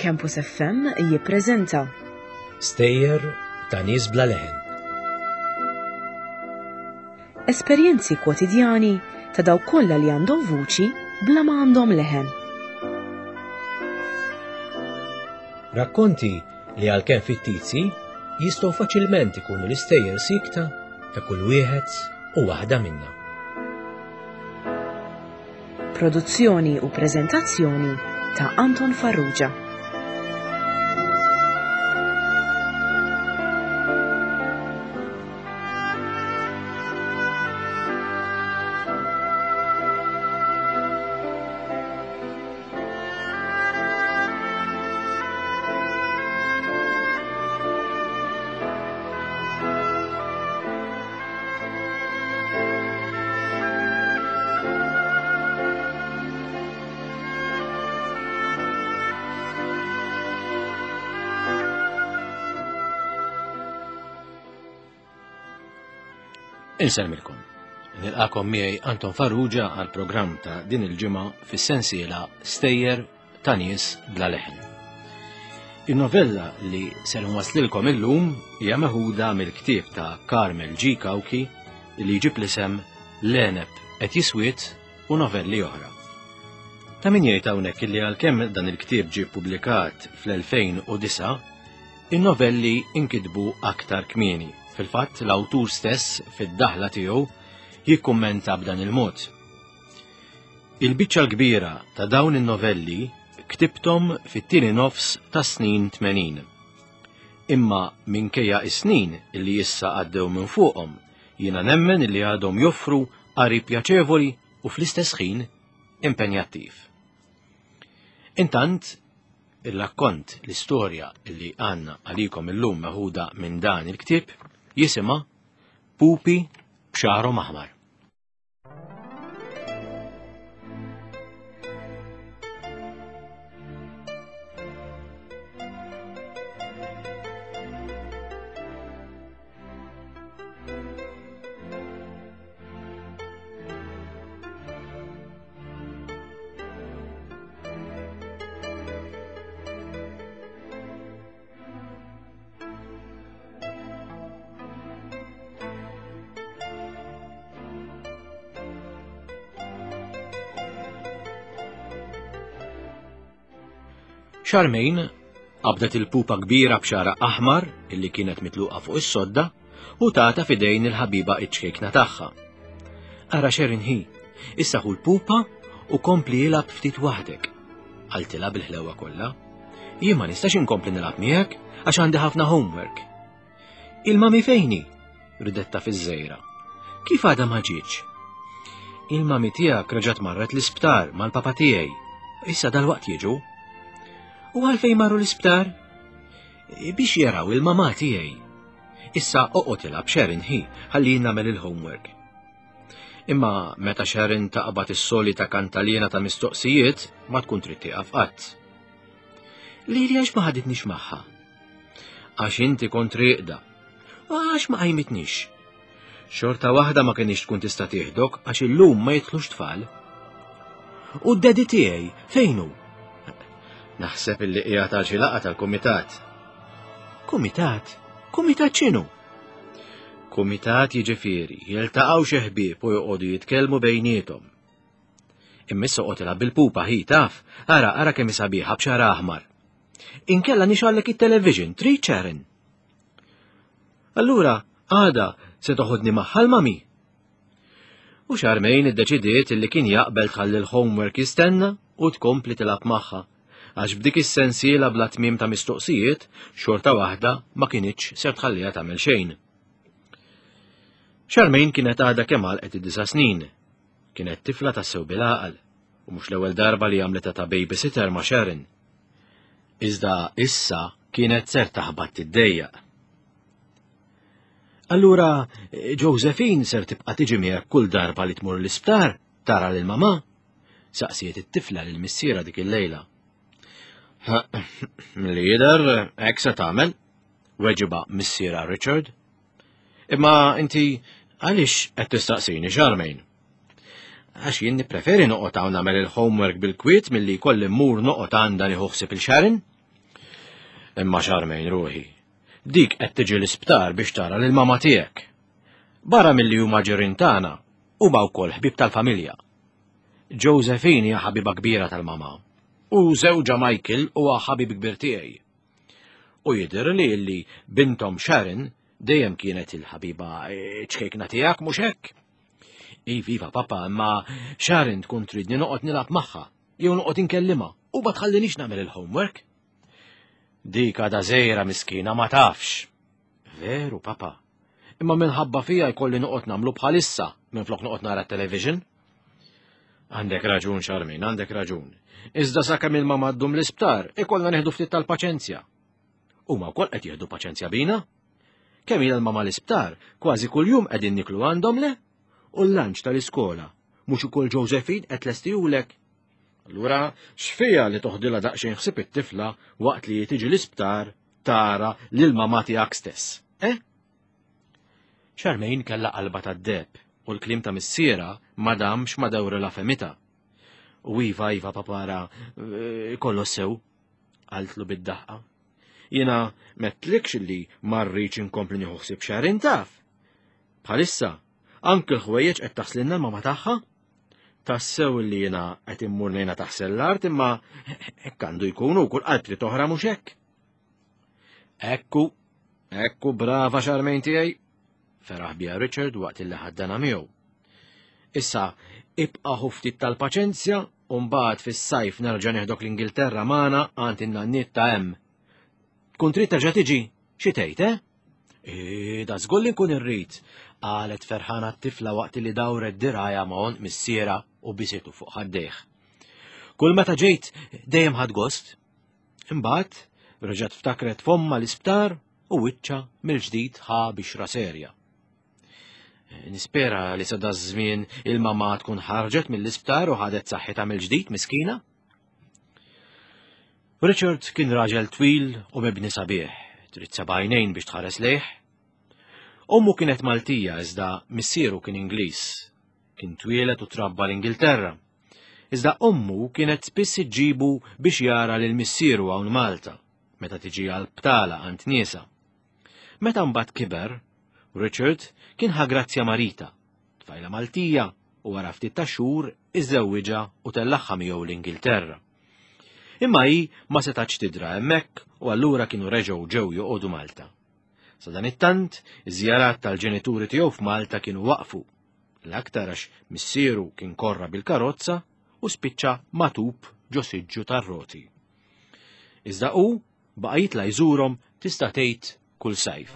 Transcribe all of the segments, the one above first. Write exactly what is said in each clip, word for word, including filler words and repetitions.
Campus F M jippreżenta Stejjer ta' nies bla leħen. Esperjenzi kwotidjani ta' dawk kollha li għandhom vuċi bla ma għandhom leħen. Rakkonti li għalkemm fittizji jistgħu faċilment ikunu l-istejjer sikta ta' kull wieħed u waħda minna. Produzzjoni u preżentazzjoni ta' Anton Farrugia. Insellmilkom. Nilqakom miegħi Anton Farrugia għal programm ta' din il-ġimgħa fis-sensiela Stejjer ta' nies bla leħen. In-novella li ser nwaslilkom illum hija meħuda mill-ktieb ta' Carmel G. Cauchi li jġib l-isem L-Għeneb qed jiswied u novelli oħra. Ta' min jgħid hawnhekk li għalkemm dan il-ktieb ġie ppubblikat fl-elfejn u disgħa, in-novelli inkitbu aktar kmieni. Fil-fatt, l-awtur stess fid-daħla tiegħu jikkummenta b'dan il-mod. Il-biċċa l-kbira ta' dawn in-novelli ktibthom fit-tieni nofs ta' snin tmenin. Imma minkejja is-snin illi issa għaddew minn fuqhom, jiena nemmen illi għadhom joffru qari pjaċevoli u fl-istess ħin impenjattiv. Intant, il-rakkont, l-istorja illi għandna għalikom illum meħuda minn dan il-ktieb jisimha Pupi b'xagħarhom aħmar. Charmaine qabdet il-pupa kbira b'xagħarha aħmar illi kienet mitluqa fuq is-sodda u tata fidejn il-ħabiba iċ-ċkejkna tagħha. Ara Sharon hi, issa ħu l-pupa u kompli ilgħab ftit waħdek. Qaltilha bil-ħlewa kollha. Jien ma nistax inkompli nilgħab miegħek għax għandi ħafna homework. Il-mami fejn hi? Ridetta fiż-żejra. Kif għadha ma ġietx? Il-mami tiegħek reġgħet marret l-isptar mal-papa tiegħi. Issa dal-waqt jiġu. U għalfejn marru l-isptar? Biex jaraw il-mama tiegħi. Issa oqgħod ilgħab Sharon hi, ħalli nagħmel il-homework. Imma meta Sharon taqbad is-solita kantaliena ta' mistoqsijiet ma tkun trid tieqaf qatt. Lili għax ma ħaditnix magħha? Għax inti kont rieqda. U għax ma qajmitnix? Xorta waħda ma kienx tkun tista' tieħdok għax illum ma jidħlux tfal. U d-daddy tiegħi fejn hu? Naħseb illi qiegħed għal xi laqgħa tal-kumitat. Kumitat? Kumitat x'inhu? Kumitat jiġifieri jiltaqgħu xi ħbieb u joqogħdu jitkellmu bejniethom. Imma issa oqgħod ilgħab bil-pupa hi taf, ara ara kemm sabiħa b'xagħar aħmar. Inkella nixgħellek it-television, trid Sharon? Allura, għada se toħodni magħha l-mami. U Charmaine iddeċidiet illi kien jaqbel tħalli l-homework jistenna u tkompli tilgħab magħha, għax b'dik is-sensiela bla tmiem ta' mistoqsijiet xorta waħda ma kinitx ser tħalliha tagħmel xejn. Charmaine kienet għadha kemm għalqet id-disa' snin. Kienet tifla tassew bil-għaqal u mhux l-ewwel darba li għamlet ta' babysitter ma' Sharon. Iżda issa kienet ser taħbat tiddejjaq. Allura Josephine ser tibqa' tiġi miegħek kull darba li tmur l-isptar tara lil mama? Saqsiet it-tifla lil missiera dik il-lejla. Li jidher hekk se tagħmel, weġiba missiera Richard. Imma inti għaliex qed tistaqsini Charmaine? Għax jien nippreferi noqgħod hawn nagħmel il-homework bil-kwiet milli jkolli mmur noqgħod għandha nieħu ħsieb il-Sharon. Imma Charmaine ruħi, dik qed tiġi l-isptar biex tara lil mama tiegħek. Barra milli huma ġirien tagħna, huma wkoll ħbieb tal-familja. Josephine hija ħabiba kbira tal-mama u żewġha Michael huwa ħabib kbir tiegħi. U jidher li li bintom Sharon dejjem kienet il-ħabiba ċkejkna tiegħek mhux hekk? Iva, papa, imma Sharon tkun tridni noqgħod nilgħab magħha jew noqgħod inkellimha u ma tħallinix nagħmel il-homework. Dik għadha żgħira miskina ma tafx. Veru, papa. Imma minħabba fija jkolli noqgħod nagħmlu bħalissa minflok noqgħod nara television. Għandek raġun, Charmaine, għandek raġun. Iżda sakemm il-mama ddum l-isptar, ikollna nieħdu ftit tal-paċenzja. Huma wkoll qed jieħdu paċenzja bina. Kemm ilha l-mama l-isptar, kważi kuljum qegħdin niklu għandhom le? U l-lunch tal-iskola, mhux ukoll Josephine qed tlestihulek. Allura, x'fiha li toħdilha daqsxejn ħsieb it-tifla waqt li tiġi l-isptar tara lil mama tiegħek stess, eh? Charmaine kellha qalba tad-deheb u l-kliem ta' missiera ma damx ma dawrilha fehmitha. U iva, iva, papara, kollox sew, qaltlu bid-daħqa. Jiena m'għedtlikx li ma rridx inkompli nieħu ħsieb Sharon taf. Bħalissa, anke l-ħwejjeġ qed taħslilna l-mama tagħha. Tassew li jiena qed immur ngħinha taħsel l-art imma hekk għandu jkun u kull qalb trid oħra mhux hekk. Ekku, ekku brava Charmaine tiegħi, feraħ biha Richard waqt illi ħaddana miegħu. Issa ibqa' ħu ftit tal-paċenzja u mbagħad fis-sajf nerġa' neħdok l-Ingilterra magħna għand in-nanniet ta' hemm. Tkun trid terġa' tiġi, xi tgħid, eh? E, da żgur li nkun irrid, qalet ferħana t-tifla waqt li dawret dirgħajha ma' għonq missiera u bisitu fuq ħaddejh. Kull meta ġejt dejjem ħadt gost. Imbagħad reġgħet ftakret f'ommha l-isptar u wiċċha mill-ġdid ħa bixra serja. Nispera li sa daż-żmien il-mama tkun ħarġet mill-isptar u ħadet saħħitha mill-ġdid miskina. Richard kien raġel twil u mibni sabiħ, trid seba' għajnejn biex tħares lejh. Ommu kienet Maltija iżda missieru kien Ingliż. Kien twieled u trabba l-Ingilterra. Iżda ommu kienet spiss iġġibu biex jara lil missieru hawn Malta, meta tiġi għal btala għand niesa. Meta mbagħad kiber, Richard kien ħa grazzja ma' Rita, tfajla Maltija, u wara ftit ta' xhur iżżewwiġha u tellagħha miegħu l-Ingilterra. Imma hi ma setax tidra hemmhekk u allura kienu reġgħu ġew joqogħdu Malta. Sa dan it-tant, iż-żjarat tal-ġenituri tiegħu f'Malta kienu waqfu. L-aktar għax missieru kien korra bil-karozza u spiċċa matub ġo siġġu tar-roti. Iżda hu baqa' jitla' jżurhom tista' tgħid kull sajf.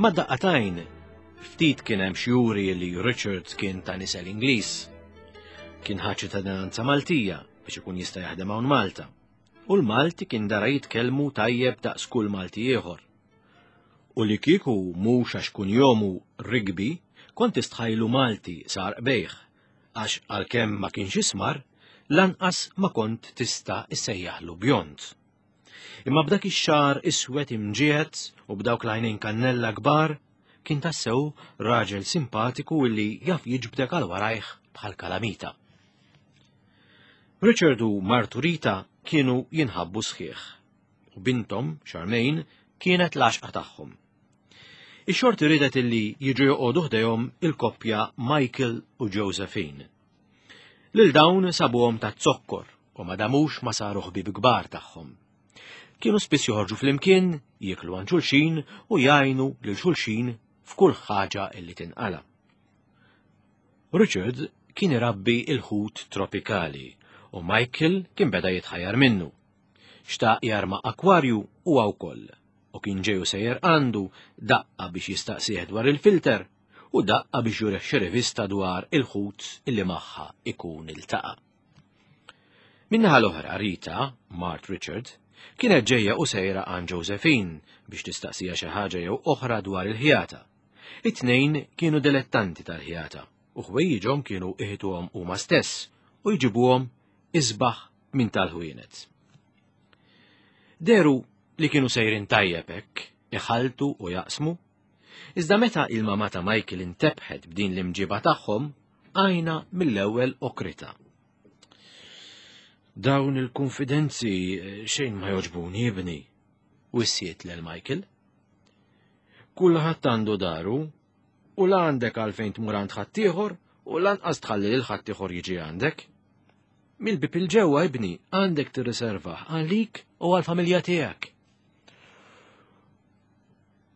Ma daqqatajn, ftit kien hemm xjuri li Richard kien ta' nisel Ingliż. Kien ħa ċittadinanza Maltija biex ikun jista' jaħdem hawn Malta. U l-Malti kien dara jitkellmu tajjeb daqs kull Malti ieħor. U li kieku mhux għax kunjomu Rigby, kont tistħajlu Malti sar qbejħ, għax għalkemm ma kienx ismar, lanqas ma kont tista' issejjaħlu bjond. Imma b'dak ix-xagħar iswed imġiegħed u b'dawk l-għajnejn kannella kbar, kien tassew raġel simpatiku illi jaf jiġbdek għal warajh bħal kalamita. Richard u martu Rita kienu jinħabbu sħiħ, u bintom, Charmaine, kienet l-għaxqa tagħhom. Ix-xorti ridet illi jiġu joqogħdu ħdejhom il-koppja Michael u Josephine. Lil dawn sabuhom ta' zokkor u ma damux ma saru ħbieb kbar tagħhom. Kienu spiss joħorġu flimkien, jieklu għand xulxin u jgħinu lil xulxin f'kull ħaġa illi tinqala. Richard kien irabbi il-ħut tropikali u Michael kien beda jitħajjar minnu. Xtaq jarma akwarju huwa wkoll u kien ġeju sejjer għandu daqqa biex jistaqsih dwar il-filter u daqqa biex jurih xi rivista dwar il-ħut illi magħha ikun iltaqa'. Min-naħa l-oħra Rita, Mart Richard, kienet ġejja u sejra għand Josephine biex tistaqsija xi ħaġa jew oħra dwar il-ħjata. It-tnejn kienu dilettanti tal-ħjata u ħwejjiġhom kienu iħituhom huma stess u jġibuhom isbaħ minn tal-ħwienet. Deru li kienu sejrin tajjeb hekk, iħaltu u jaqsmu. Iżda meta il-mama ta' Michael intebħet b'din l-imġiba tagħhom, għajna mill-ewwel okrita. Dawn il-konfidenzi xejn ma joġbuni ibni, wissiet lil Michael. Kulħadd għandu daru u la għandek għalfejn tmur għand ħaddieħor u lanqas tħalli lil ħaddieħor jiġi għandek. Mill-bib il-ġewwa ibni għandek tirriservah għalik u għall-familja tiegħek.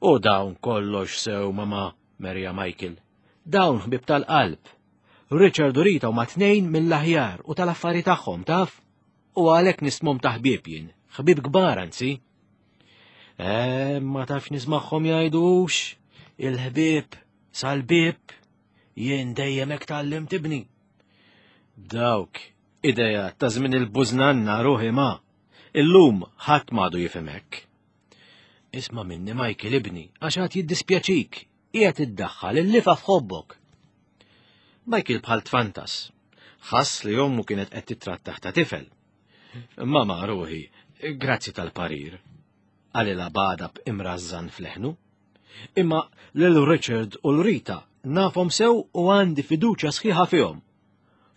U dawn kollox sew mama, Merja Michael. Dawn ħbib tal-qalb. Richard u Rita huma tnejn mill-aħjar u tal-affari tagħhom taf? U għalhekk nismhom ta' ħbieb jien, ħbieb kbar anzi. Eh, ma tafx nismagħhom jgħidux, il-ħbieb sal-bieb, jien dejjem hekk tgħallimt ibni. Dawk ideja ta' żmien il-bużnanna ruħi ma. Illum ħadd m'għadu jifhem hekk. Isma' minni Michael ibni, għax għad jiddispjaċik, qiegħed iddaħħal il-lifa f'ħobbok. Michael bħal tfantas, ħass li ommu kienet qed titrattaħ ta' tifel. Mama ruħi, grazzi tal-parir, qalilha b'għadab imrażżan f'leħnu. Imma lil Richard u l-Rita nafhom sew u għandi fiduċja sħiħa fihom.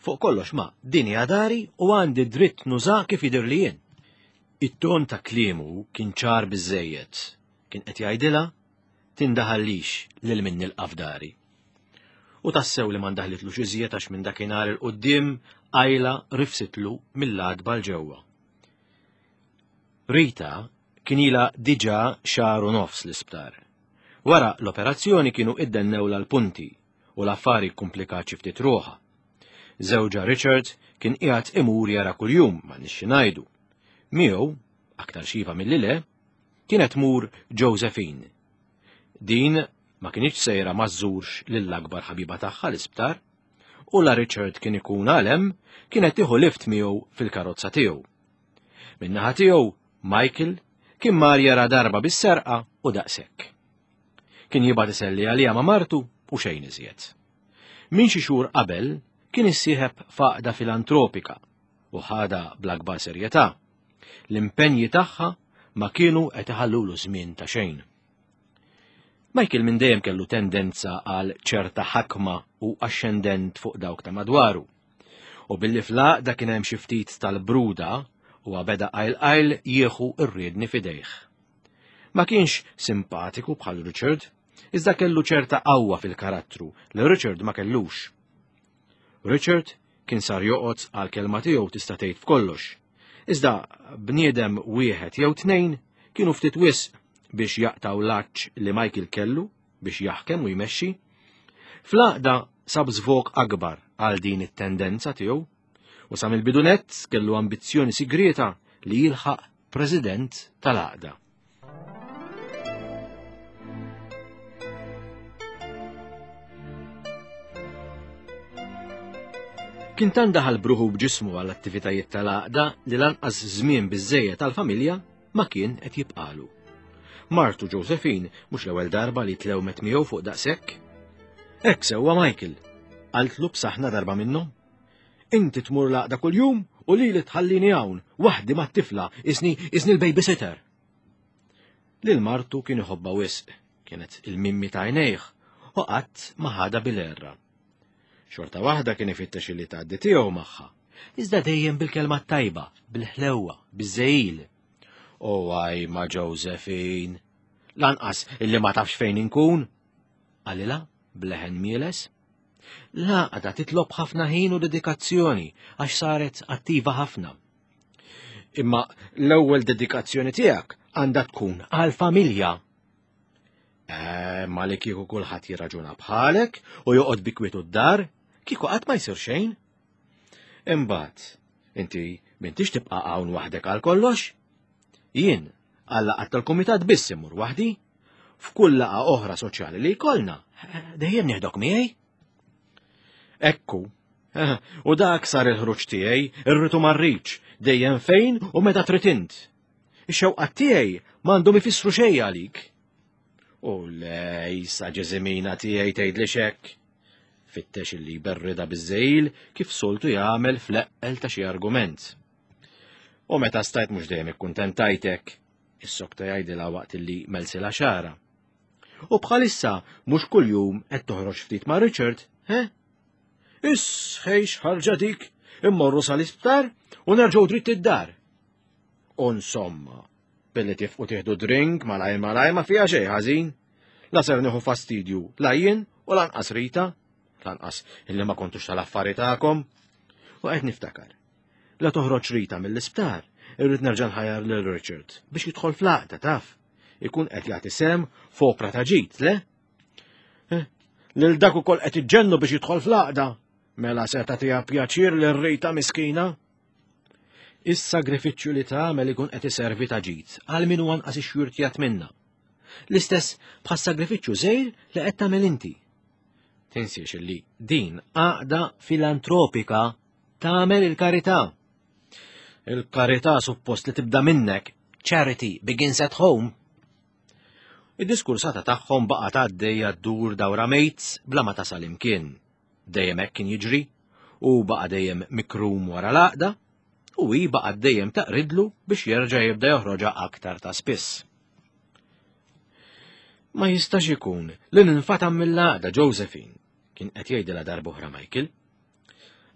Fuq kollox ma, din hija dari u għandi dritt nuża kif jidher li jien. It-ton ta' kliemu kien ċar biżejjed. Kien qed jgħidilha tindaħallix lil min nilqa' f'dari. U tassew li ma ndaħlitlux iżjed għax minn dakinhar il quddiem qajla rifsitlu mill-għadba l ġewwa. Rita kien ilha diġà xahar u nofs l-isptar. Wara l-operazzjoni kienu iddennewla l-punti u l-affari kkumplikat xi ftit ruħha. Żewġha Richard kien qiegħed imur jara kuljum ma nixxi ngħidu. Miegħu, aktar xiva milli le, kienet tmur Josephine. Din ma kinitx sejra ma żżurx lill-akbar ħabiba tagħha l-isptar, u la Richard kien ikun għalem kienet tieħu lift miegħu fil-karozza tiegħu. Min-naħa tiegħu, Michael kien mar jara darba bis-serqa u daqshekk. Kien jibgħat iselli għaliha ma' martu u xejn iżjed. Min xi xhur qabel kien issieħeb f'għaqda filantropika u ħada bl-akbar serjetà. L-impenji tagħha ma kienu qed iħallulu żmien ta' xejn. Michael minn dejjem kellu tendenza għal ċerta ħakma u axxendent fuq dawk ta' madwaru. U billi fl-għaqda kien hemm xi ftit tal-bruda u beda qajl qajl jieħu r-riedni f'idejh. Ma kienx simpatiku bħal Richard, iżda kellu ċerta qawwa fil-karattru li Richard ma kellux. Richard kien sar joqgħod għal kelma tiegħu tista' tgħid f'kollox. Iżda bniedem wieħed jew tnejn kienu ftit wisq biex jaqtaw l-għatx li Michael kellu biex jaħkem u jmexxi. Fl-għaqda sab żvok akbar għal din it-tendenza tiegħu u sa mill-bidu nett kellu ambizzjoni sigrieta li jilħaq president tal-għaqda. Kien tant daħal bruħu b'ġismu għall attivitajiet tal-għaqda li lanqas żmien biżejjed tal-familja ma kien qed jibqalu. Martu Josephine mhux l-ewwel darba li tlewmet miegħu fuq daqshekk. Hekk sewwa Michael, qaltlu b'saħna darba minnhom. Inti tmur l-għaqda kuljum u lili tħallini hawn waħdi mat-tifla isni isni l-babysitter. Lil martu kien iħobbha wisq, kienet il-mimmi ta' għajnejh u qatt ma ħadha bil-erra. Xorta waħda kien ifittex li tgħaddi tiegħu magħha, iżda dejjem bil-kelma tajba, bil-ħlewwa, biż-żejjil. O għaj ma' Josephine, lanqas illi ma tafx fejn inkun, qalilha b'leħen mieles. L-għaqda titlob ħafna ħin u dedikazzjoni għax saret attiva ħafna. Imma l-ewwel dedikazzjoni tiegħek għandha tkun għall-familja. Eh, ma li kieku kulħadd jirraġuna bħalek u joqgħod bi kwietu d-dar, kieku qatt ma jsir xejn. Imbagħad, inti m'intix tibqa' hawn waħdek għal kollox? Jien għal laqgħat tal-kumitat biss immur waħdi. F'kull laqgħa oħra soċjali li jkollna, dejjem nieħdok miegħi. Ekku, u dak sar il-ħruġ tiegħi, irrid u ma rridx, dejjem fejn u meta trid int. Ix-xewqat tiegħi m'għandhom ifissru xejn għalik. U lejsa ġeżimina tiegħi tgħidli x'hekk. Fittex illi jberrida biż-żejl kif soltu jagħmel fl-eqqel ta' xi argument. U meta stajt mhux dejjem ikkuntentajtek, Is-sokta jgħidilha waqt li melsila xara. U bħalissa mhux kuljum qed toħroġ ftit ma' Richard, he? Isħejx ħarġa dik, immorru sal-isptar u nerġgħu dritt id-dar. Insomma, billi tifqu tieħdu drink malaj malaj ma fiha xejn ħażin. La ser nieħu fastidju la jien u lanqas Rita, lanqas illi ma kontux tal-affari tagħkom. U qed niftakar. La toħroġ Rita mill-isptar, irrid nerġa' nħajjar lil Richard biex jidħol fl-għaqda taf. Ikun qed jagħti sem f'opra ta' ġid, le? Eh, lil dak ukoll qed iġġennu biex jidħol fl-għaqda. Mela se tagħtiha pjaċir lil Rita miskina. Is-sagrifiċċju li tagħmel ikun qed iservi ta' ġid għal min huwa anqas ixxurtjat minna. L-istess bħas-sagrifiċċju żgħir li qed tagħmel inti. Tinsiex illi din għaqda filantropika tagħmel il-karità. Il-karità suppost li tibda minnek, charity begins at home. Id-diskursata tagħhom baqgħet għaddejja ddur dawra mates bla ma tasal imkien. Dejjem hekk kien jiġri u baqa' dejjem mikrum wara l-għaqda u hi baqgħet dejjem taqridlu biex jerġa' jibda joħroġha aktar ta' spiss. Ma jistax ikun li ninfatam mill-għaqda Josephine, kien qed jgħidilha darb'oħra Michael.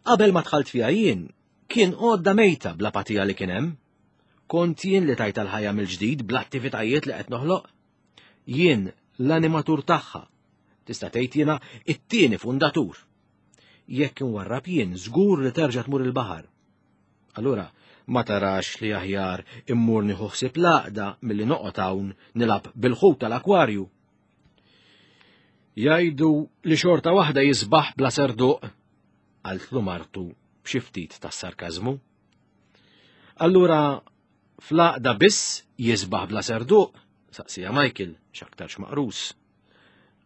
Qabel ma dħalt fiha jien, kien għodda mejta bl-apatija li kien hemm. Kont jien li tajta l-ħajja mill-ġdid bl-attivitajiet li qed noħloq. Jien l-animatur tagħha. Tista' tgħid jiena it-tieni fundatur. Jekk inwarrab jien żgur li terġa' tmur il-baħar. Allura, ma tarax li aħjar immur nieħu ħsieb l-għaqda milli noqgħod hawn nilgħab bil-ħut tal-akwarju. Jgħidu li xorta waħda jisbaħ bla serduq, qaltlu martu b'xi ftit tas-sarkażmu. Allura fl-għaqda biss jisbaħ bla serduq, saqsija Michael x'aktarx maqrus.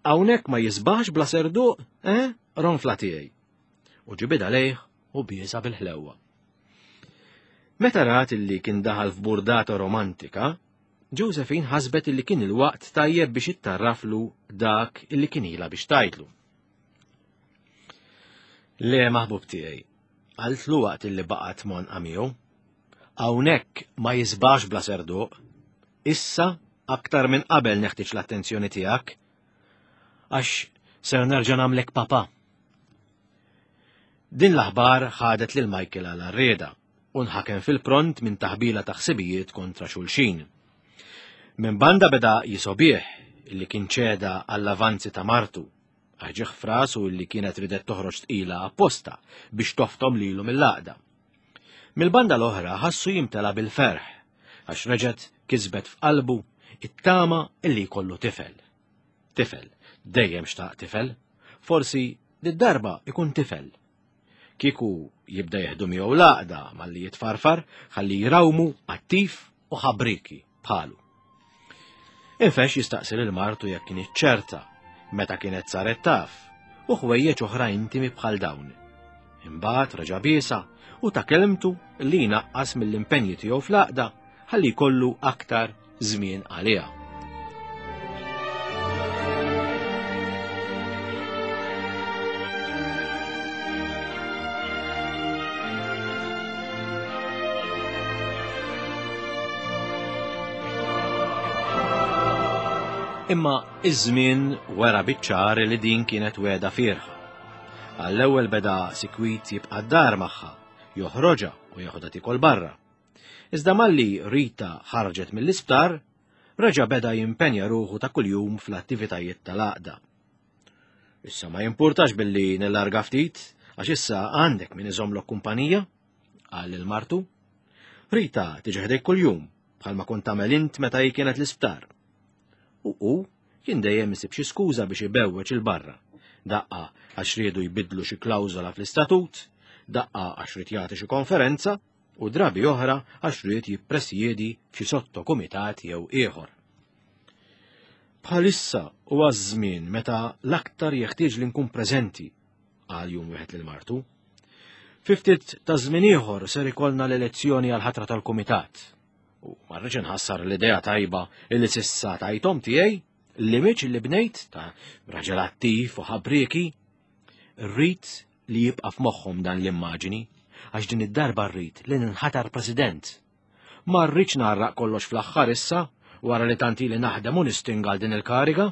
Hawnhekk ma jisbaħx bla serduq, eh? Ronfla tiegħi. U ġibidha lejh u biesa bil-ħlewwa. Meta rat illi kien daħal f'burdata romantika, Josephine ħasbet illi kien il-waqt tajjeb biex ittarraflu dak illi kien ilha biex tgħidlu. Le maħbub tiegħi, qaltlu waqt illi baqgħet monqa miegħu. Hawnhekk ma jisbax bla serduq. Issa aktar minn qabel neħtieġ l-attenzjoni tiegħek għax ser nerġa' nagħmlek papa. Din l-aħbar ħadet lil Michael għal arrieda u nħakem fil-pront minn taħbila ta' ħsibijiet kontra xulxin. Minn banda beda jisobih illi kien ċeda għall-avanzi ta' martu, għax frasu illi kienet ridet toħroġ tqila apposta biex toftom lilu mill-għaqda. Mill-banda l-oħra ħassu jimtela bil-ferħ, għax reġgħet kisbet f'qalbu it-tama illi jkollu tifel. Tifel, dejjem xtaq tifel, forsi did-darba ikun tifel. Kieku jibda jeħdu miegħu l-għaqda malli jitfarfar ħalli jrawmu attiv u ħabriki bħalu. Infex jistaqsi lil martu jekk kienet ċerta meta kienet saret taf u ħwejjeġ oħra intimi bħal dawn. Imbagħad reġa' biesa u ta' kelmtu li jnaqqas mill-impenji tiegħu fl-għaqda ħalli jkollu aktar żmien għaliha. Imma iż-żmien wera biċ-ċar li din kienet wegħda fierħa. Għall-ewwel beda sikwit jibqa' d-dar magħha, joħroġha u jeħodha tikol barra. Iżda malli Rita ħarġet mill-isptar, reġa' beda jimpenja ruħu ta' kuljum fl-attivitajiet tal-għaqda. Issa ma jimpurtax billi nillarga ftit, għax issa għandek min iżomlok kumpanija, qal lil martu. Rita tiġi ħdejk kuljum, bħalma kont tagħmel int meta hi kienet l-isptar. U hu kien dejjem isib xi skuża biex ibewweġ il-barra. Daqqa għax riedu jbidlu xi klawżola fl-istatut, daqqa għax ried jagħti xi konferenza, u drabi oħra għax ried jippresjedi f'xi sottokumitat jew ieħor. Bħalissa huwa ż-żmien meta l-aktar jeħtieġ li nkun preżenti, qal jum wieħed lil martu. Fi ftit ta' żmien ieħor ser ikollna l-elezzjoni għal ħatra tal-kumitat. U ma rridx inħassar l-idea tajba illi s'issa tajthom tiegħi, l-image li bnejt ta' raġel attiv u ħabrieki, rrid li jibqa' f'moħħhom dan l-immaġini, għax din id-darba rrid li ninħatar president. Ma rridx narraq kollox fl-aħħar issa, wara li tant ili naħdem u nistinga għal din il-kariga.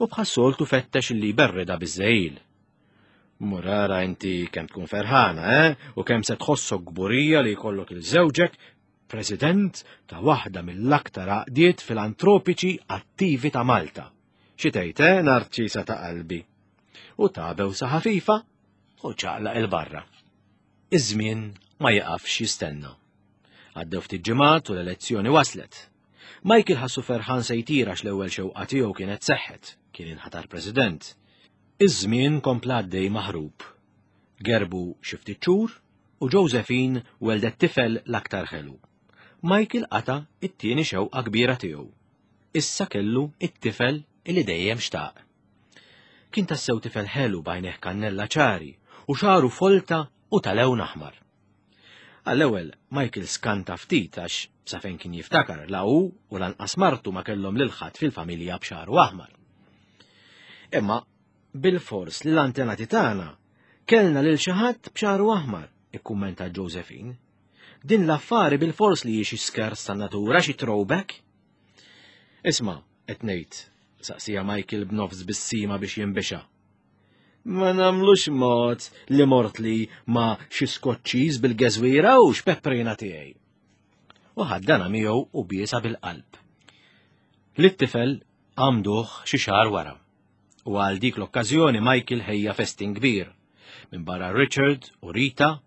U bħas-soltu fettex li berrida biż-żejl. Murara inti kemm tkun ferħana, eh? U kemm se tħossok kburija li jkollok il-żewġek president ta' waħda mill-aktar għaqdiet filantropiċi attivi ta' Malta. Xi tgħid, eh, Narċisa ta' qalbi? U tabew sa ħafifa u ċaqlaq il-barra. Iż-żmien ma jaqafx jistenna. Għaddew ftit ġimgħat u l-elezzjoni waslet. Michael ħassu ferħan se jtira l-ewwel xewqa tiegħu kienet seħħet, kien inħatar president. Iż-żmien kompla għaddej maħrub. Gerbu xi ftit xhur u Josephine weldet tifel l-aktar ħelu. Michael qata' it-tieni xewqa kbira tiegħu. Issa kellu it-tifel illi dejjem xtaq. Kien tassew tifel ħelu b'għajnejh kannella ċari u xagħru folta u ta' lewn aħmar. Għall-ewwel Michael skanta ftit għax sa fejn kien jiftakar la hu u lanqas martu ma kellhom lil ħadd fil-familja b'xagħru aħmar. Imma bil-fors li l-antenati tagħna kellna lil xi ħadd b'xagħru aħmar, ikkummenta Josephine. Din l-affari bil-fors li hi xi skers tan-natura, xi throwback. Isma', qed ngħid, saqsija Michael b'nofs bissima biex jinbixa. Ma namlux mod li mort li ma xi skoċċiż bil-geżwira u x'pepprina tiegħi. U ħaddana miegħu u biesa bil-qalb. Lit-tifel għamduh xi xahar wara. U għal dik l-okkażjoni Michael ħejja festin kbir. Minn barra Richard u Rita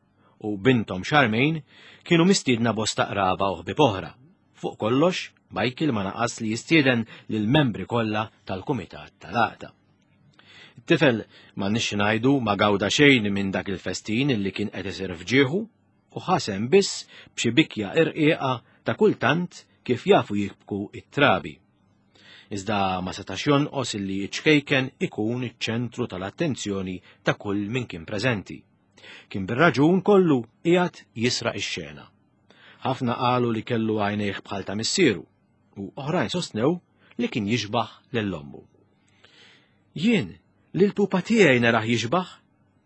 u bintom Charmaine kienu mistiedna bosta qraba u ħbieb oħra. Fuq kollox, Michael ma naqas li jistieden lill-membri kollha tal-kumitat tal-għaqda. It-tifel ma nix ngħidu ma gawda xejn minn dak il-festin illi kien qed isir fġieħu u ħasem biss b'xi bikja irqiqa ta' kultant kif jafu jibku it-trabi. Iżda ma setax jonqos illi ċ-ċkejken ikun iċ-ċentru tal-attenzjoni ta' kull min kien preżenti. Kien bir-raġun kollu qiegħed jisraq ix-xena. Ħafna qalu li kellu għajnejh bħal ta' missieru u oħrajn sostnew li kien jixbaħ lil ommu. Jien lil pupa tiegħi narah jixbaħ,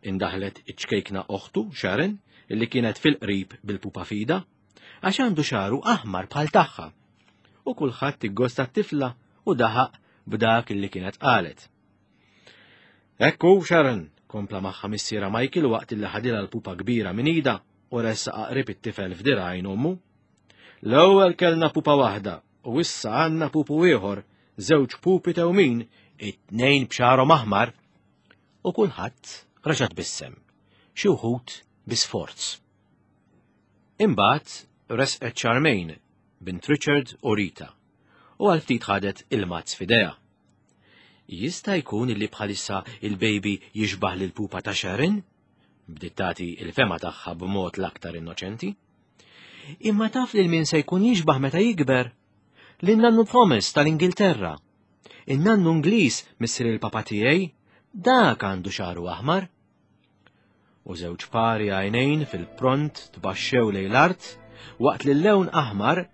indaħlet iċ-ċkejkna oħtu Sharon illi kienet fil-qrib bil-pupa fida, għax għandu xagħru aħmar bħal tagħha. U kulħadd iggosta t-tifla u daħaq b'dak illi kienet qalet. Ekku Sharon, kompla magħha missiera Michael waqt illi ħadilha l-pupa kbira minn idha u ressaq qrib it-tifel f'dirgħajn ommu. L-ewwel kellna pupa waħda u issa għandna pupu ieħor, żewġ pupi tewmin, it-tnejn b'xagħarhom aħmar. U kulħadd reġa' tbissem, xi wħud bi sforz. Imbagħad resqet Charmaine, bint Richard u Rita, u għal ftit ħadet il-mazz f'idejha. Jista' jkun illi bħalissa il-baby jixbaħ lil pupa ta' Sharon? Bdiet tagħti il-fema tagħha b'mod l-aktar innoċenti. Imma taf lil min se jkun jixbaħ meta jikber? Lin nannu Thomas tal-Ingilterra. In-nannu Ingliż missier il-papa tiegħi, dak għandu xagħru aħmar. U żewġ pari għajnejn fil-pront tbaxxew lejn l-art waqt li l-lewn aħmar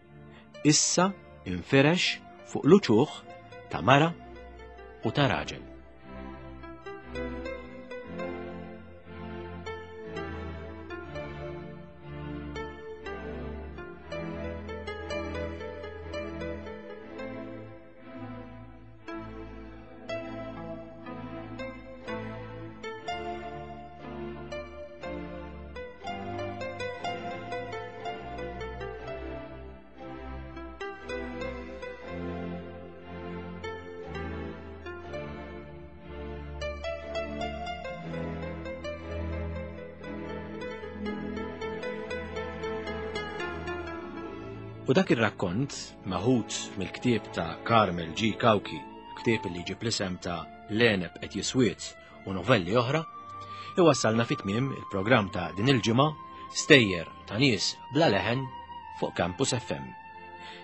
issa infirex fuq l-uċuħ ta' mara u ta' raġel. U dak ir-rakkont, maħut mill-ktieb ta' Carmel G. Cauchi, ktieb li ġib l-isem ta' L-Għeneb qed jiswiet u novelli oħra, iwassalna fi tmiem il-programm ta' din il-ġimgħa Stejjer ta' nies bla leħen fuq Campus F M.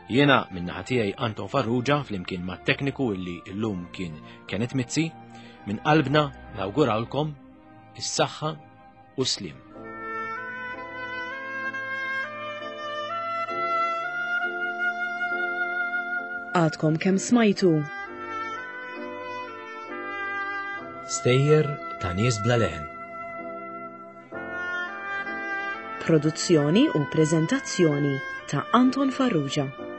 Jiena min-naħa tiegħi Anton Farrugia flimkien mat-tekniku illi llum kien Kenneth Mizzi, minn qalbna nawgurawlkom is-saħħa u s-sliem. Għadkom kemm smajtu. Stejjer ta' nies bla leħen. Produzzjoni u preżentazzjoni ta' Anton Farrugia.